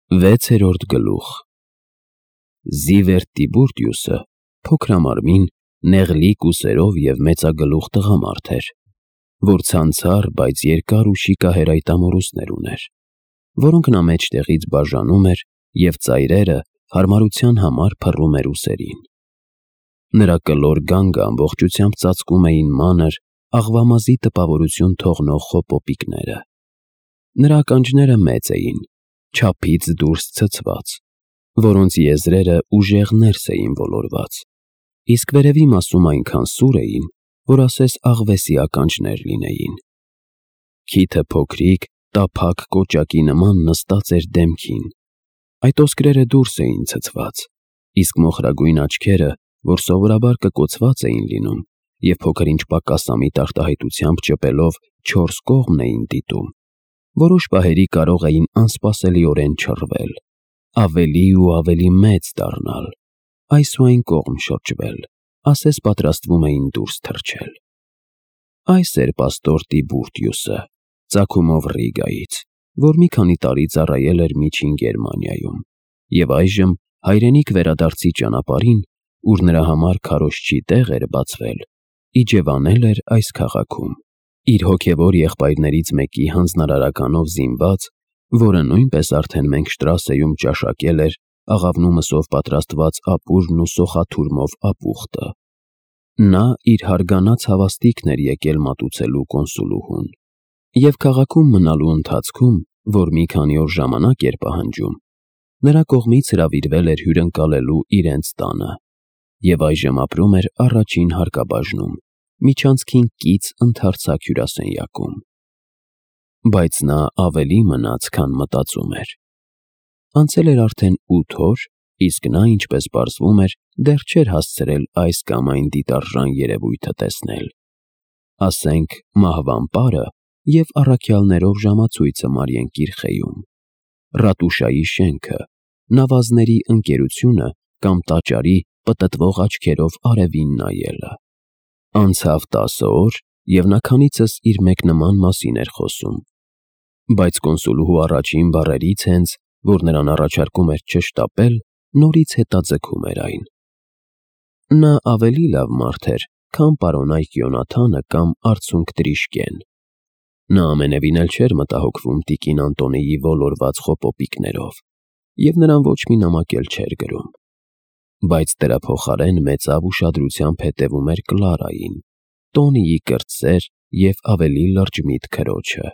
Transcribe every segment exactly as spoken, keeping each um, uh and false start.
Վեցերորդ գլուխ Զիվերտ Տիբուրտիուսը փոքրամարմին, նեղլիկ ուսերով և մեծագլուխ տղամարդ էր, որ ցանցառ, բայց երկար ու շիկահեր այտամորուսներ ուներ, որոնք նա մեջտեղից բաժանում էր և ծայրերը հարմարության համար փռում էր ուսերին։ Նրա կլոր գանգը ամբողջությամբ ծածկում էին մանր, աղվամազի տպավորություն թողնող խոպոպիկները։ Նրա ականջները մեծ էին, չափից դուրս ցցված, որոնց եզրերը ուժեղ ներս էին ոլորված, իսկ վերևի մասում այնքան սուր էին, որ ասես աղվեսի ականջներ լինեին։ Քիթը փոքրիկ, տափակ կոճակի նման նստած էր դեմքին, այդ ոսկրերը դուրս էին ցցված, իսկ մոխրագույն աչքերը, որ սովորաբար կկոցված էին լինում և փոքր-ինչ պակասամիտ արտահայտությամբ ճպելով չորս կողմն էին դիտում, որոշ պահերի կարող էին անսպասելիորեն չռվել, ավելի ու ավելի մեծ դառնալ, այս ու այն կողմ շրջվել, ասես պատրաստվում էին դուրս թռչել։ Այս էր պաստոր Տիբուրտիուսը, ծագումով Ռիգայից, որ մի քանի տարի ծառայել էր Միջին Գերմանիայում և այժմ հայրենիք վերադարձի ճանապարհին, ուր նրա համար քարոզչի տեղ էր բացվել, իջևանել էր այս քաղաքում, իր հոգևոր եղբայրներից մեկի հանձնարարականով զինված, որը նույնպես արդեն մենք Շտրասեում ճաշակել էր աղավնու մսով պատրաստված ապուրն ու սոխաթուրմով ապուխտը։ Նա իր հարգանած հավաստիքն էր եկել մատուցելու կոնսուլուհուն, և քաղաքում մնալու ընթացքում, որ մի քանի օր ժամանակ էր պահանջում, նրա կողմից հրավիրվել էր հյուրընկալելու իրենց տանը, և այժմ ապրում էր առաջին հարկաբաժնում, միջանցքին կից ընդարձակ հյուրասենյակում։ Բայց նա ավելի մնաց, քան մտածում էր։ Անցել էր արդեն ութ օր, իսկ նա, ինչպես պարզվում էր, դեռ չէր հասցրել այս կամ այն դիտարժան երևույթը տեսնել, ասենք մահվան պարը և առաքյալներով ժամացույցը Մարիենկիրխեում, ռատուշայի շենքը, նավազների ընկերությունը կամ տաճարի պտտվող աչքերով արևին նայելը։ Անցավ տասը օր, և նա քանիցս իր մեկնման մասին էր խոսում, բայց կոնսուլուհու առաջին բառերից հենց, որ նրան առաջարկում էր չշտապել, նորից հետաձգում էր այն։ Նա ավելի լավ մարդ էր, քան պարոնայք Յոնաթանը կամ արցունք Տրիշկեն։ Նա ամենևին էլ չէր մտահոգվում տիկին Անտոնիի ոլորված խոպոպիկներով, և նրան ոչ մի նամակ էլ չէր գրում, բայց դրա փոխարեն մեծավ ուշադրությամբ հետևում էր Կլարային, Տոնիի կրտսեր և ավելի լրջմիտ քրոջը։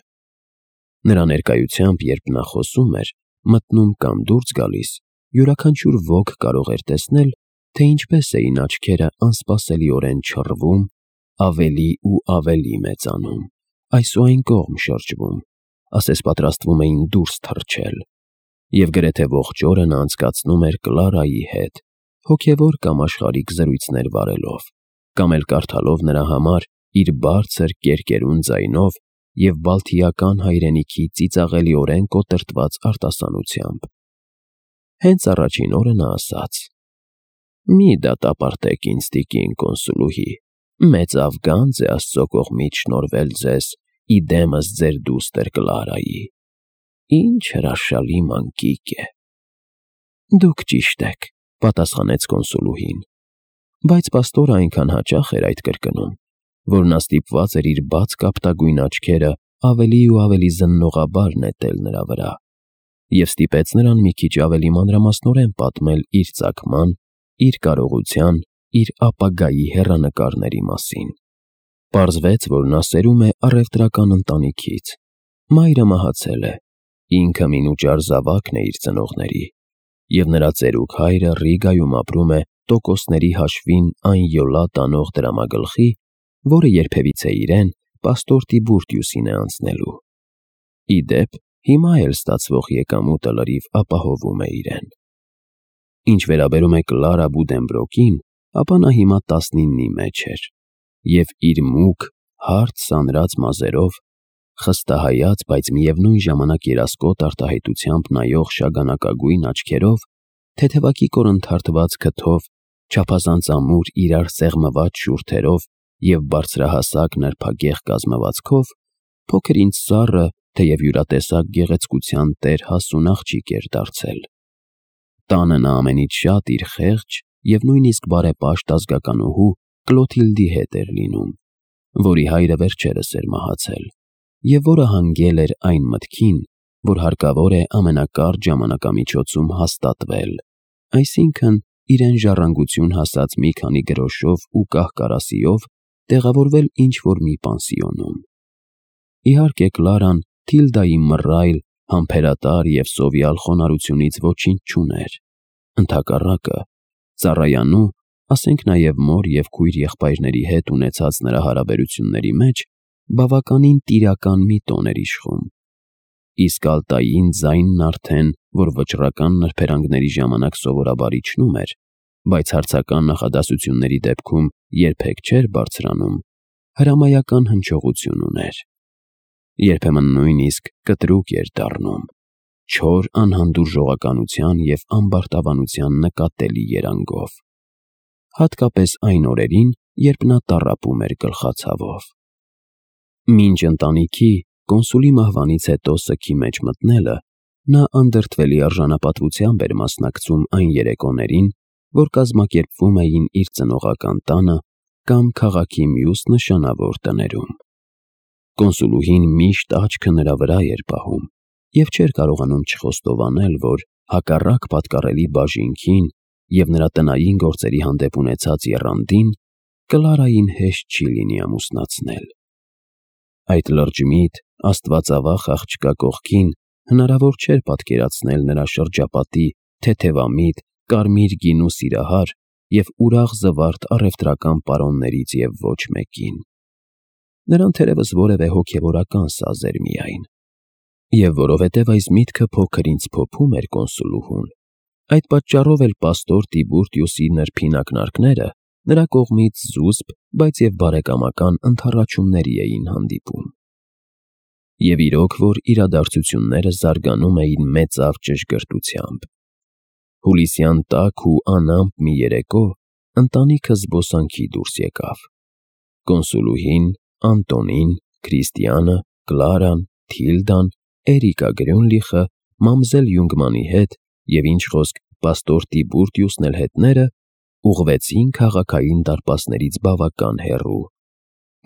Նրա ներկայությամբ, երբ նա խոսում էր, մտնում կամ դուրս գալիս, յուրաքանչյուր ոք կարող էր տեսնել, թե ինչպես էին աչքերը անսպասելիորեն չռվում, ավելի ու ավելի մեծանում, այս ու այն կողմ շրջվում, ասես պատրաստվում էին դուրս թռչել, և գրեթե ողջ օրը նա անցկացնում էր Կլարայի հետ, հոգևոր կամ աշխարհիկ զրույցներ վարելով, կամ էլ կարդալով նրա համար իր բարձր կերկերուն ձայնով և բալթիական հայրենիքի ծիծաղելիորեն կոտրտված արտասանությամբ։ Հենց առաջին օրը նա ասաց. «Մի դատապարտեք ինձ, տիկին կոնսուլուհի, մեծավ գանձ է Աստծո կողմից շնորհվել ձեզ ի դեմս ձեր դուստր Կլարայի։ Ինչ հրաշալի մանկիկ է»։ «Դուք ճիշտ եք», պատասխանեց կոնսուլուհին, բայց պաստորը այնքան հաճախ էր այդ կրկնում, որ նա ստիպված էր իր բաց կապտագույն աչքերը ավելի ու ավելի զննողաբար նետել նրա վրա, և ստիպեց նրան մի քիչ ավելի մանրամասնորեն պատմել իր ծագման, իր կարողության, իր ապագայի հեռանկարների մասին։ Պարզվեց, որ նա սերում է առևտրական ընտանիքից, մայրը մահացել է, ինքը մինուճար զավակն է իր ծնողների, և նրա ծերուկ հայրը Ռիգայում ապրում է տոկոսների հաշվին այն յոլա տանող դրամագլխի, որը երբևիցե իրեն, պաստոր Տիբուրտիուսին է անցնելու։ Ի դեպ, հիմա էլ ստացվող եկամուտը լրիվ ապահովում է իրեն։ Ինչ վերաբերում է Կլարա Բուդենբրոկին, ապա նա հիմա տասնինի մեջ էր, և իր մուգ, հարթ սանրած մազերով, խստահայաց, բայց միևնույն ժամանակ երասկոտ արտահայտությամբ նայող շագանակագույն աչքերով, թեթևակի կորընթարթված քթով, չափազանց ամուր իրար սեղմված շուրթերով և բարձրահասակ նրբագեղ կազմվածքով, փոքր-ինչ սառը թեև յուրատեսակ գեղեցկության տեր հասուն աղջիկ էր դարձել։ Տանը նա ամենից շատ իր խեղճ և նույնիսկ բարեպաշտ ազգականուհու Կլոթիլդի հետ էր լինում, որի հայրը վերջերս էր մահացել, և որը հանգել էր այն մտքին, որ հարկավոր է ամենակարճ ժամանակամիջոցում հաստատվել, այսինքն իրեն ժառանգություն հասած մի քանի գրոշով ու կահ-կարասիով տեղավորվել ինչ-որ մի պանսիոնում։ Իհարկե Կլարան Թիլդայի մռայլ, համբերատար և սովյալ խոնարհությունից ոչինչ չուներ, ընդհակառակը, ծառայանու, ասենք նաև մոր և քույր եղբայրների հետ ունեցած նրա հարաբերությունների մեջ բավականին տիրական մի տոն էր իշխում, իսկ Ալտային ձայնն արդեն, որ վճռական նրբերանգների ժամանակ սովորաբար իջնում էր, բայց հարցական նախադասությունների դեպքում երբեք չէր բարձրանում, հրամայական հնչողություն ուներ։ Երբեմն նույնիսկ կտրուկ էր դառնում, չոր անհանդուրժողականության և ամբարտավանության նկատելի երանգով, հատկապես այն օրերին, երբ նա տառապում էր գլխացավով։ Մինչ ընտանիքի կոնսուլի մահվանից հետո սգի մեջ մտնելը, նա անդրդվելի արժանապատվությամբ էր մասնակցում այն երեկոներին, որ կազմակերպվում էին իր ծնողական տանը կամ քաղաքի մյուս նշանավոր տներում։ Կոնսուլուհին միշտ աչքը նրա վրա էր պահում և չէր կարողանում չխոստովանել, որ հակառակ պատկառելի բաժինքին և նրա տնային գործերի հանդեպ ունեցած եռանդին, Կլարային հեշտ չի լինի ամուսնացնել։ Այդ լրջմիտ, աստվածավախ աղջկա կողքին հնարավոր չէր պատկերացնել նրա շրջապատի թեթևամիտ, կարմիր գինու սիրահար և ուրախ զվարթ առևտրական պարոններից և ոչ մեկին։ Նրան թերևս որևէ հոգևորական սազ էր միայն։ Եվ որովհետև այս միտքը փոքր ինձ փոփում էր կոնսուլուհուն, այդ պատճառով էլ պաստոր Տիբուրտիուսի նրբին ակնարկները նրա կողմից զուսպ, բայց և բարեկամական ընդառաջումների էին հանդիպում։ Եվ իրոք որ իրադարձությունները զարգանում էին մեծավ ճշգրտությամբ։ Հուլիսյան տաք ու անամպ մի երեկո ընտանիքը զբոսանքի դուրս եկավ։ Կոնսուլուհին, Անտոնին, Քրիստիանը, Կլարան, Թիլդան, Էրիկա Գրյունլիխը, մամզել Յունգմանի հետ և ինչ խոսք պաստոր Տիբուրտիուսն էլ հետները ուղղվեցին քաղաքային դարպասներից բավական հեռու,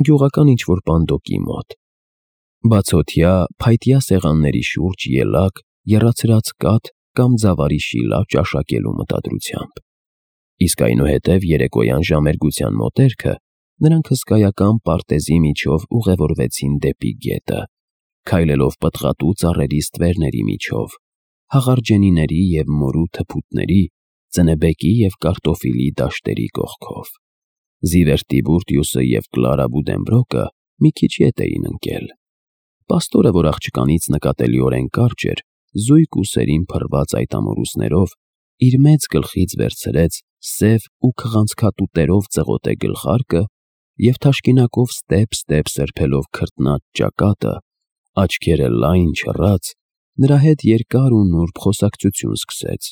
գյուղական ինչ-որ պանդոկի մոտ, բացօթյա, փայտյա սեղանների շուրջ ելակ, եռացրած կաթ կամ ձավարի շիլա ճաշակելու մտադրությամբ։ Իսկ այնուհետև երեկոյան ժամերգության մոտերքը նրանք հսկայական պարտեզի միջով ուղևորվեցին դեպի գետը, քայլելով պտղատու ծառերի ստվերների միջով, հաղարջենիների և մորու թփուտների, ծնեբեկի և կարտոֆիլի դաշտերի կողքով։ Զիվեր Տիբուրտիուսը և Կլարա Բուդենբրոկը մի քիչ ետ էին ընկել։ Պաստորը, որ աղջկանից նկատելիորեն կարճ էր, զույգ ուսերին փռված այդ ամորուսներով, իր մեծ գլխից վերցրեց սև ու քղանցքատուտերով ծղոտե գլխարկը և թաշկինակով ստեպ-ստեպ սրբելով քրտնած ճակատը, աչքերը լայն չռած, նրա հետ երկար ու նուրբ խոսակցություն սկսեց,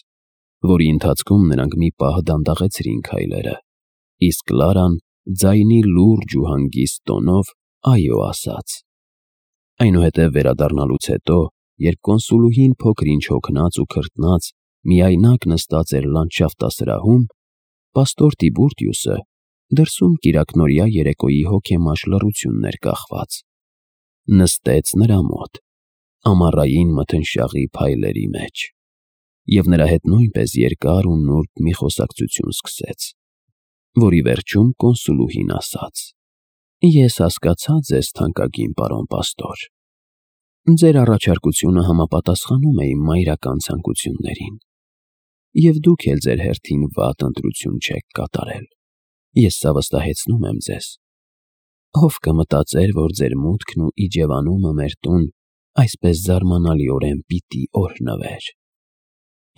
որի ընթացքում նրանք մի պահ դանդաղեցրին քայլերը, իսկ Կլարան ձայնի լուրջ ու հանգիստ տոնով «այո» ասաց։ Այնուհետև վերադառնալուց հետո, երբ կոնսուլուհին փոքր-ինչ հոգնած ու քրտնած միայնակ նստած էր լանդշաֆտասրահում, պաստոր Տիբուրտիուսը դրսում կիրակնօրյա երեկոյի հոգեմաշ լռությունն էր կախված, նստեց նրա մոտ, ամառային մթնշաղի փայլերի մեջ, և նրա հետ նույնպես երկար ու նուրբ մի խոսակցություն սկսեց, որի վերջում կոնսուլուհին ասաց. «Ես հասկացա ձեզ, թանկագին պարոն պաստոր։ Ձեր առաջարկությունը համապատասխանում է իմ մայրական ցանկություններին, և դուք էլ ձեր հերթին վատ ընտրություն չեք կատարել։ Ես սա վստահեցնում եմ ձեզ։ Ով կմտածեր, որ ձեր մուտքն ու իջևանումը մեր տուն այսպես զարմանալիորեն պիտի օրհնվեր։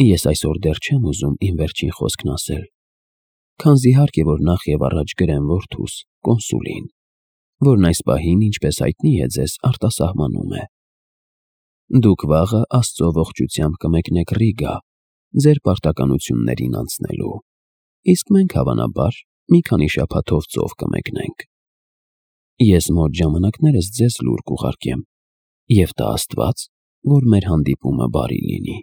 Ես այսօր դեռ չեմ ուզում իմ վերջին խոսքն ասել, քանզի հարկ է, որ նախ և առաջ գրեմ որդուս, կոնսուլին, որն այս պահին, ինչպես հայտնի է ձեզ, արտասահմանում է։ Դուք վաղը Աստծո ողջությամբ կմեկնեք Ռիգա, ձեր պարտականություններին անցնելու, իսկ մենք հավանաբար մի քանի շաբաթով ծով կմեկնենք։ Ես մոտ ժամանակներս ձեզ լուր կուղարկեմ, Եվ տա Աստված, որ մեր հանդիպումը բարի լինի։